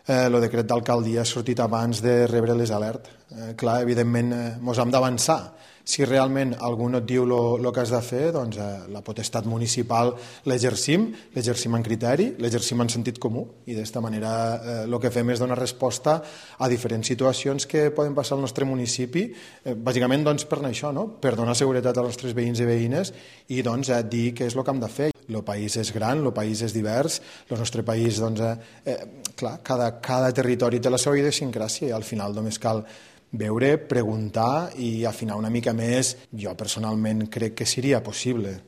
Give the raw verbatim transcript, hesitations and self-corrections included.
el decret d'alcaldia ha sortit abans de rebre les alertes. Eh, clar, evidentment, ens hem d'avançar. Si realment algú no et diu el que has de fer, doncs eh, la potestat municipal l'exercim, l'exercim en criteri, l'exercim en sentit comú, i d'esta manera eh, el que fem és donar resposta a diferents situacions que poden passar al nostre municipi, eh, bàsicament doncs, per això, no? Per donar seguretat als nostres veïns i veïnes i doncs, eh, dir què és el que hem de fer. El país és gran, el país és divers, el nostre país, doncs, eh, eh, clar, cada, cada territori té la seva idiosincràsia i al final només cal veure, preguntar i afinar una mica més. Jo personalment crec que seria possible.